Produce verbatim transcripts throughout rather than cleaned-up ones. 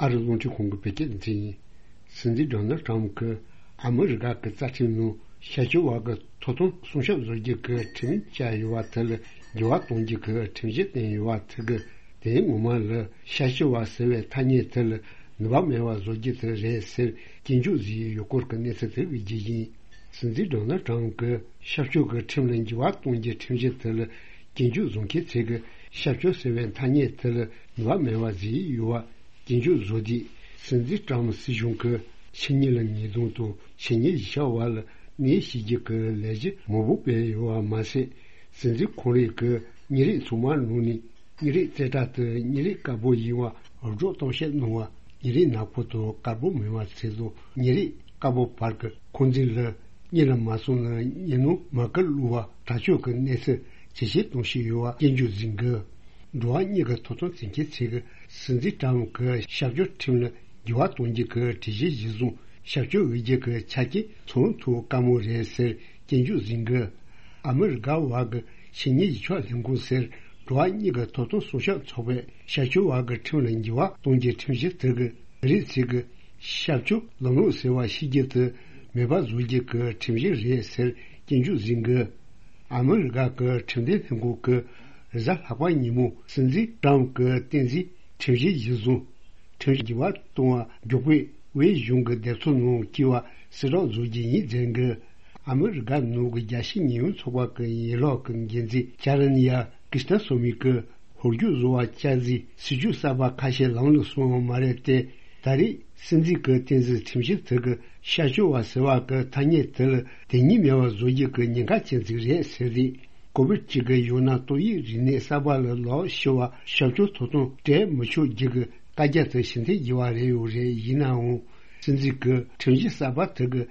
ཨ་རི་རླུང་འཕྲིན་ཁང་གི་བོད་སྐད་སྡེ་ཚན་ཡིན། སྲིད་འཛིན་ཌོ་ནལ་ཊམ་གྱིས་ཨ་མི་རི་ཀ་གི་རྩ་ཁྲིམས་ནང་ཤར་ཕྱོགས་བར་གྱི་ཐོབ་ཐང་སྲུང་སྐྱོབ་བཟོ་རྒྱུ་གི་ཁྲིམས་བཅའ་ཡོད་པ་དེ་ལ་འགྱུར་བ་གཏོང་རྒྱུ་གི་ཁྲིམས་གཞི་བཏོན་ཡོད་པ་དེ་གིས། དེའི་ངོ་མ་ལ་ཤར་ཕྱོགས་བར་ཟེར་བའི་ཐ་སྙད་དེ་ལ་ནུས་པ་མེད་པ་བཟོ་རྒྱུ་དེ་རེད་ཟེར་སྐྱོན་བརྗོད་བཟོས་ཡོད་སྐོར་གྱི་གནས་ཚུལ་དེ་བརྗོད་རྒྱུ་ཡིན། སྲིད་འཛིན་ཌོ་ནལ་ཊམ་གྱིས་ཤར་ཕྱོགས་ཀྱི་ཁྲིམས་ལ་འགྱུར་བ་གཏོང་རྒྱུའི་ཁྲིམས་གཞི་དེ་ལ་སྐྱོན་བརྗོད་བཟོ་མཁན་ཚོས་ཀྱིས་ཤར་ཕྱོགས་ཟེར་བའི་ཐ་སྙད་དེ་ལ་ནུས་པ་མེད་པ་བཟོས་ཡོད་པ་སྐྱོན་བརྗོད་བཟོས་ཏེ། སྲིད་འཛིན་ཊམ་སྲིད་གཞུང་གིས་ཕྱི་ཉིན་ལ་ཉིས་སྟོང་དང་ཕྱི་ཉིན་བཞི་ཆ་བར་ལ་གནས་བྱེད་རྒྱུ་གི་ལས་གཞི་མང་པོ་སྤེལ་ཡོད་པ་མ་ཟད། སྲིད་འཛིན་ཁོང་རང་གིས་ཉིན་རེའི་ཚང་མ་ནང་ནས། ཉིན་རེའི་རྩེ་གྲས་དུ་ཉིན་རེའི་དཀར་པོ་ཡིན་པ་སྒྲོག་གཏམ་བཤད་གནང་བ། ཉིན་རེའི་ནག་པོ་དང་དཀར་པོ་མིན་པ་ཚོ་དང་ཉིན་རེའི་དཀར་པོ་བར་གྱི་འཁོན་འཛིན་ལ་གཉིད་ལ་མ་སོང་ན་ཉིན་ནང་མ་ཀིར་བླུག་པ་དྲག་སྤྱོད་ཀྱི་གནས་ཚུལ་ཇེ་ཆེར་གཏོང་བཞིན་ཡོད་པ་སྐྱོན་བརྗོད་བཟོས་འདུག་འགྲོ་བ་མིའི་ཐོབ་ཐང་འཛིན་མཁན་ཚོས་ཀྱིས་སྲིད་འཛིན་ཊམ་གྱིས་ཤར་ཕྱོགས་ཁྲིམས་ལ་འགྱུར་བ་གཏོང་རྒྱུ་གི་གྲོས་གཞི་གཞིར་བཟུང་ཤར་ཕྱོགས་འོས་བསྡུ་གི་ཆ་རྐྱེན་ཚང་ཐུབ་དཀའ་མོ་རེད་ཟེར་སྐྱོན་བརྗོད་བཟོས་འདུག་ཨ་མི་རི་ཀ་བར་གྱི་ཕྱི་ཉིན་གཞིས་ཆགས་ལྷན་ཁང་ཟེར་འགྲོ་བ་མིའི་ཐོབ་ཐང་སྲུང་སྐྱོབ་ཚོགས་པས་ཤར་ཕྱོགས་བར་གྱི་ཁྲིམས་ལ་འགྱུར་བ་གཏོང་རྒྱུའི་ཁྲིམས་གཞི་དེ་གིས་མི་རིགས་ཚོས་ཀྱིས་ཤར་ཕྱོགས་ལམ་ལུགས་ཟེར་བ་ཤེས་རྒྱུ་དེ་མེད་པ་བཟོ་རྒྱུ་གི་ཁྲིམས་གཞི་རེད་ཟེར་སྐྱོན་བརྗོད་བཟོས་འདུག་ཨ་མི་རི་ཀ་གི་ཁྲིམས་དོན་ལྷན་ཁང་གིས་རེས་གཟའ་ལྷག་པ་ཉིན་མོ་སྲིད་འཛིན་ཊམ་གྱིས་བཏོན་གཟིགས་ཁྲིམས་གཞི་གཞིར་བཟུང་ཁྲིམས་གཞི་འགྱུར་བ་གཏོང་བ་མགྱོགས་པོས་དབུས་གཞུང་གི་སྡེ་ཚོགས་ནང་བསྐྱོད་པ་གསལ་བསྒྲགས་བཟོ་རྒྱུ་ཡིན་ཟེར་འདུག་ཨ་མི་རི་ཀ་ནང་གི་རྒྱལ་སྤྱིའི་ཉེས་དབྱུང་ཚོགས་པ་གི་ཡན་ལག་གི་འགན་འཛིན་ཇ་རན་ཡ་ཀི་སྟ་སོ་མི་གིས་ཧོལ་རྒྱུག་བཟོ་བ་བསྐྱར་གཟིགས་སྲིད་ཇུས་གསར་པ་ཁ་ཤས་ལམ་ལ་སོང་བ་མ་རེད་དེ། ད་རེས་སྲིད་འཛིན་གྱིས་བཏོན་གཟིགས་ཁྲིམས་གཞི་དེ་གིས་ཤར་ཕྱོགས་བ་ཟེར་བ་གི་ཐ་སྙད་དེ་ལ་དོན་སྙིང་མེད་པ་བཟོ་རྒྱུ་གི་ཉེན་ཁ་ཅན་ཅིག་རེད་ཟེར་ཏེ། ཀོ་བིཌ་གཅིག་གི་ཡང་ན་ཏོག་དབྱིབས་རིམས་ནད་གསར་པ་ལ་ལག་ཤི་བ་ཤར་ཕྱོགས་ཐོབ་ཐང་སྤྲད་མི་ཆོག་རྒྱུ་གི་བཀའ་རྒྱ་དེ་ཕྱིར་འཐེན་བགྱི་བ་རེད་ཡོད་རེད། ཡིན་ནའང་སྲིད་འཛིན་གྱིས་ཁྲིམས་གཞི་གསར་པ་དེ་གིས་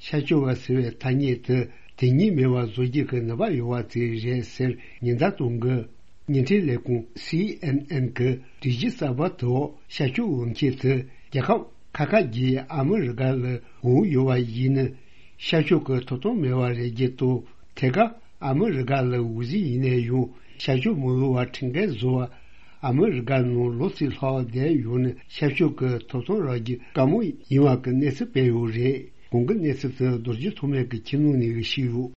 ཤར་ཕྱོགས་བ་ཟེར་བའི་ཐ་སྙད་དེ་དོན་སྙིང་མེད་པ་བཟོ་རྒྱུ་གི་ནུས་པ་ཡོད་པ་དེ་རེད་ཟེར་ཉེན་བརྡ་གཏོང་གི་ཉིན་ཁྲིད་ལས་ཁུངས་སི་ཨེན་ཨེན་གྱི་སྒྲིག་གཞི་གསར་པ་དེ་འོག་ཤར་ཕྱོགས་འོས་འཁྱེར་དེ་རྒྱལ་ཁབ་ཁ་ཁ་བརྒྱད་ཨ་མི་རི་ཀ་ལ་འོས་ཡོད་པ་ཡིན་ན། ཤར་ཕྱོགས་ཀྱི་ཐོབ་ཐང་མེད་པ་རེད་རྒྱུ་དང་། ཐད་ཀར་ཨ་མི་རི་ཀ་ལ་འོས་གཟིགས་ཡིན་ནའི་ཡང་ཤར་ཕྱོགས་མི་འོས་པ་ཁྲིམས་འགལ་བཟོ་བ། ཨ་མི་རི་ཀ་ནང་ལོ་ཚིགས་ལྷག་བསྡད་ཡོད་ན་ཤར་ཕྱོགས་ཀྱི་ཐོབ་ཐང་རག་རྒྱུ་དཀའ་མོ་ཡིན་པ་གི་གནས་ཚུལ་སྤེལ་ཡོད་རེད། གོང་གི་གནས་ཚུལ་དེ་རྡོ་རྗེ་ཐོགས་མེད་ཀྱིས་ཁྱིམ་ནང་ནས་ཞུས་ཡོད།